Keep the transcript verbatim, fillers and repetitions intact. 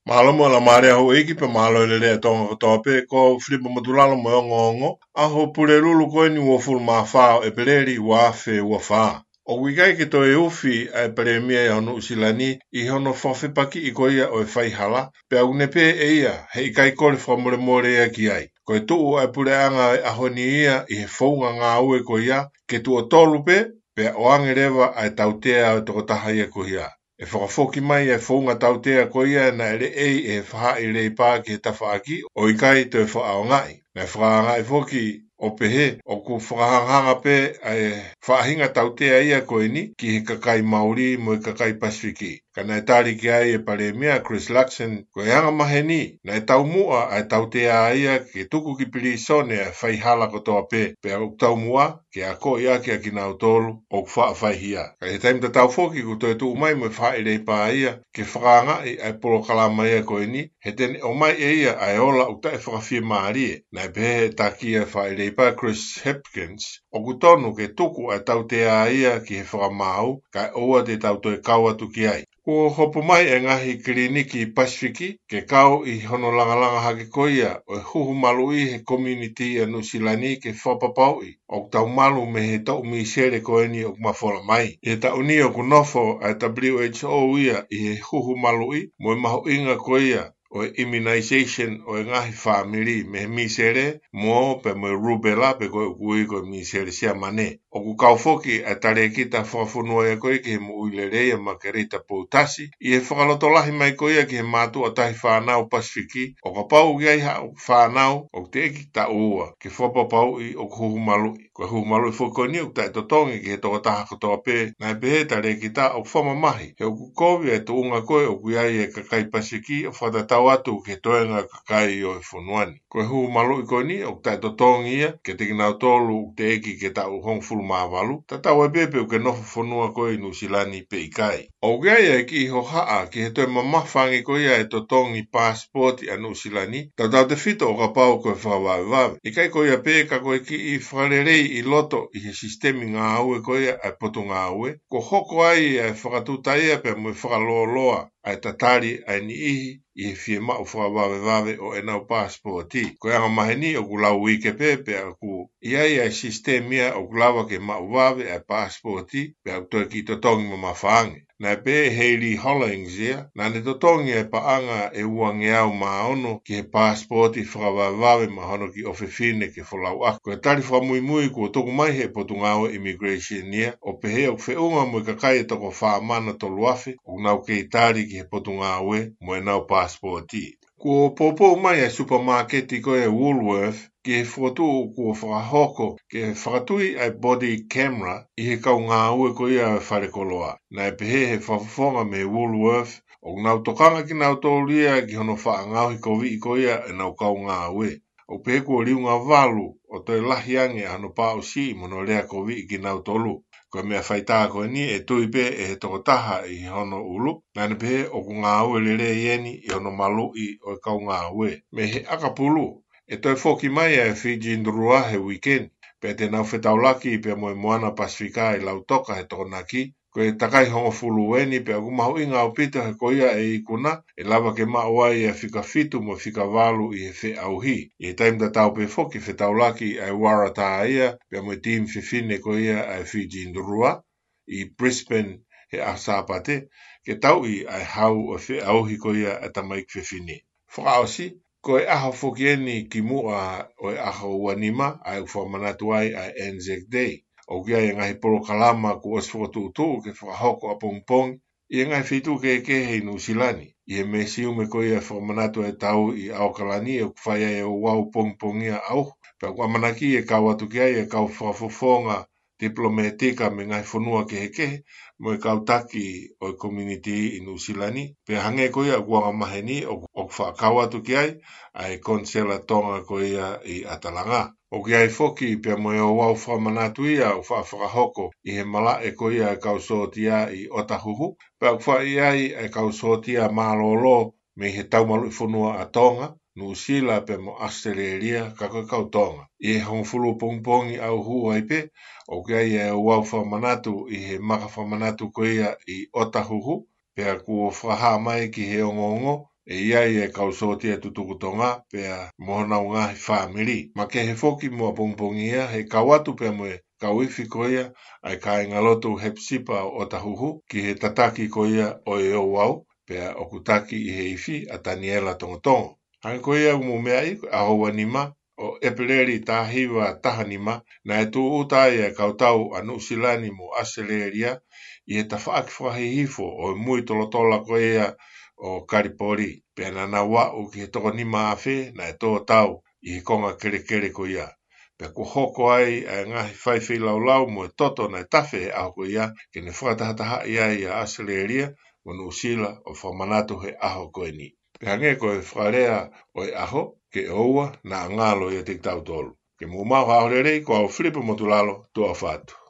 Mālō mo e laumālie ʻa houʻeiki pea mālō e lelei ʻa Tonga kotoa pē, ko Filipa Motulalo mo e ongoongo ʻa e Pulelulu ko eni uofulu mā fā ʻo ʻEpeleli ua afe ua fā. ʻOku ʻikai ke toe ufi ʻa e Palēmia ʻo Nuʻusila ni ʻi hono fakafepakiʻi ko ia ʻo e faihala, pea ʻoku ne pehē ʻe ia he ʻikai kole fakamolemole ia ki ai. Ko e tuʻu ʻa e puleʻanga ʻo e ʻaho ni ia ʻi he founga ngāue ko ia ke tuʻo tolu pē, pea ʻoange leva ʻa e tautea ʻo e tokotaha ia ko ia. ʻE fakafoki mai e founga tautea ko ia naʻe leʻei ʻe he faʻahi Leipa ki he tafaʻaki ʻo ʻikai toe fakaʻaongaʻi. Naʻe fakaʻaongaʻi foki ʻo pehē ʻoku fakahangahanga pē ʻa e faʻahinga tautea ia ko eni ki he kakai Mauli mo e kakai Pasifiki. Ka naʻe tali ki ai e Palēmia Chris Luxon, ko e angamaheni naʻe taumuʻa ʻa e tautea ia ke tuku ki pilīsone ʻa e faihala kotoa pē, pea ʻoku taumuʻa ke akoʻi ʻaki ʻa kinautolu ʻoku faʻa faihia. Ka ʻi he taimi tatau foki kuo toe tuʻu mai mo e faʻahi Leipa ia ke fakaʻaongaʻi ʻa e polokalama ia ko eni, he te ne ʻomai ʻe ia ʻa e ola ʻoku taʻefakafiemālie. Naʻe pehē ʻe he taki ʻa e faʻahi Leipa Chris Hipkins, ʻoku tonu ke tuku ʻa e tautea ia ki he fakamaau, kae ʻoua te tau toe kau atu ki ai. Kuo hopo mai e ngaahi kiliniki Pasifiki ke kau ʻi hono langalanga hake ko ia ʻo e huhu maluʻi he community ʻa Nuʻusila ni ke fakapapauʻi ʻoku tau malu mei he toʻu misele ko eni ʻoku mafola mai. ʻI he taʻu ni ʻoku nofo ʻa e W H O ia ʻi he huhu maluʻi mo e mahuʻinga ko ia ʻo e immunization ʻo e ngaahi fāmili mei he misele mo pea mo e rubella pe ko e ʻoku ui ko e misele Siamane. ʻOku kau foki ʻa e talēkita fakafonua ia ko ia ki he moʻui lelei ʻa Makerita Poutasi ʻi he fakalotolahi mai ko ia ki he mātuʻa tahi fānau Pasifiki, ʻo kapau ʻoku ʻi ai haʻo fānau ʻoku teʻeki taʻu ua, ke fakapapauʻi ʻoku huhu maluʻi. Ko e huhu maluʻi foki ko eni ʻoku taʻetotongi ki he tokotaha kotoa pē, naʻe pehē ʻe he talēkita ʻoku fakamamahi he ʻoku kovi e tuʻunga ko ē ʻoku ʻi ai e kakai Pasifiki ʻo fakatatau atu ki he toenga kakai ʻo e fonua ni. Ko e huhu maluʻi ko eni ʻoku taʻetotongi ia kiate kinautolu ʻoku teʻeki ke taʻu hongofulu mā valu, tatau ai pē pe ʻoku ke nofo fonua koe ʻi Nuʻusila ni pe ʻikai. ʻOku ʻi ai e kiʻi hohaʻa ki he toe mamafa ange ko ia e totongi passport ʻa Nuʻusila ni, tautautefito ʻo kapau ko e fakavavevave. ʻIkai ko ia pē ka ko e kiʻi fakaleleiʻi loto ʻi he sisitemi ngāue ko ia ʻa e Potungāue, kuo hoko ai ʻa e fakatuta ia pea mo e fakalōloa ʻa e tatali ʻa e niʻihi ʻi he fiemaʻu fakavavevave ʻo ʻenau passport. Ko e angamaheni ʻoku lau uike pē pea ʻoku ʻi ai ʻa e sisitemi ia ʻoku lava ke maʻu vave ʻa e passport, pea ʻoku toe kiʻi totongi mamafa ange. Naʻe pehē ʻe Hayley Hollings ia, naʻa ne totongi e paʻanga ʻe uangeau mā ono ki he passport fakavavevave maʻa hono kiʻi ʻofefine ke folauʻaki. Ko e tali fakamuimui kuo tuku mai ʻe he Potungāue Immigration ia, ʻo pehē ʻoku feʻunga mo e kakai ʻe toko fā mana tolu afe ʻoku nau kei tali ki he Potungāue mo ʻenau passport. Kuo poupou mai ʻa e supermarket ko ia Woolworth ki he fokotuʻu kuo fakahoko ke fakatui ʻa e body camera ʻi he kau ngāue ko ia ʻo e falekoloa. Naʻe pehē ʻe he fakafofonga mei Woolworth ʻoku nau tokanga kinautolu ia ki hono faʻa ngaohi koviʻi ko ia ʻenau kau ngāue. ʻOku pehē kuo liunga valu ʻo toe lahi ange ʻa hono paʻusiʻi mo hono lea koviʻi kinautolu. Ko e meʻa faitā ko eni ʻe tui pē ʻe he tokotaha ʻi hono ʻulu, naʻa ne pehē ʻoku ngāue lelei eni ʻi hono maluʻi ʻo e kau ngāue. Mei he ʻakapulu, ʻe toe foki mai ʻa e Fiji Drua he weekend, pea te nau fetaulaki pea mo e Moana Pasifika ʻi Lautoka he Tokonaki. Ko e takai hongofulu eni pea ʻoku mahuʻinga ʻaupito he ko ia ʻe ikuna ʻe lava ke maʻu ai ʻa e fika fitu mo e fika valu ʻi he feʻauhi. ʻI he taimi tatau pē foki fetaulaki ʻa e Waratah ia pea mo e team fefine ko ia ʻa e Fiji Drua ʻi Brisbane he ʻaho Sāpate, ke tauʻi ʻa e hau ʻo e feʻauhi ko ia ʻa e tamaiki fefine. Fakaʻosi, ko e ʻaho foki eni kimuʻa ʻo e ʻaho ua nima ʻa e ʻoku fakamanatu ai ʻa e Anzac Day. ʻOku ʻi ai e ngaahi polokalama kuo ʻosi fokotuʻutuʻu ke fakahoko ʻapongipongi ʻi he ngaahi feituʻu kehekehe ʻi Nuʻusila ni. ʻI he mesiume ko ia fakamanatu e tau ʻi ʻAokalani ʻoku fai ai e ouau pongipongia ʻauhu. Pea ʻoku ʻamanaki e kau atu ki ai e kau fakafofonga tipilōmētika mei he ngaahi fonua kehekehe mo e kau taki ʻo e community ʻi Nuʻusila ni. Pea hangē ko ia ʻoku angamaheni ʻoku, ʻoku faʻa kau atu ki ai ʻa e konisela Tonga ko ia ʻi ʻAtalanga. ʻOku ʻi ai foki pea mo e ouau fakamanatu ia ʻoku faʻa fakahoko ʻi he malaʻe ko ia e kau sōtia ʻi ʻOtahuhu, pea ʻoku faʻa ʻi ai e kau sōtia mālōlō mei he taumaluʻi fonua ʻa Tonga, Nuʻusila pea mo ʻAositelēlia, ka ko e kau Tonga. ʻI he hongofulu pongipongi ʻauhu ai pē, ʻoku ʻi ai e ouau fakamanatu ʻi he maka fakamanatu ko ia ʻi ʻOtahuhu, pea kuo fakahā mai ki he ongoongo ʻe ʻi ai e kau sōtia tutuku Tonga pea mo honau ngaahi fāmili. Makehe foki mo ʻapongipongi ia, he kau atu pea mo e kau ifi ko ia ʻa e kāingalotu Hepsipa ʻo ʻOtahuhu ki he tataki ko ia ʻo e ouau, pea ʻoku taki ʻi he ifi ʻa Taniela Tongotongo. Hangē ko ia ʻoku mou meaʻi, ko e ʻaho ua nima ʻo ʻEpeleli taha hiva taha nima, naʻe tūʻuta ai e kau tau ʻa Nuʻusila ni mo ʻAositelēlia ʻi he tafaʻaki fakahihifo ʻo e mui tolatola ko ia ʻo Kalipoli. Pea naʻa nau aʻu ki he toko nima afe naʻe tō tau ʻi he konga kelekele ko ia. Pea kuo hoko ai ʻa e ngaahi faifeilaulau mo e toto naʻe tafe he ʻaho ko ia, ke ne fakatahatahaʻi ai ʻa ʻAositelēlia mo Nuʻusila ʻo fakamanatu he ʻaho ko eni. Pea hangē ko e fakalea ʻo e ʻaho, ke ʻoua naʻa ngalo ʻiate kitautolu. Ke mou maʻu ha ʻaho lelei, ko au Filipe Motulalo, tuʻa ʻofa atu.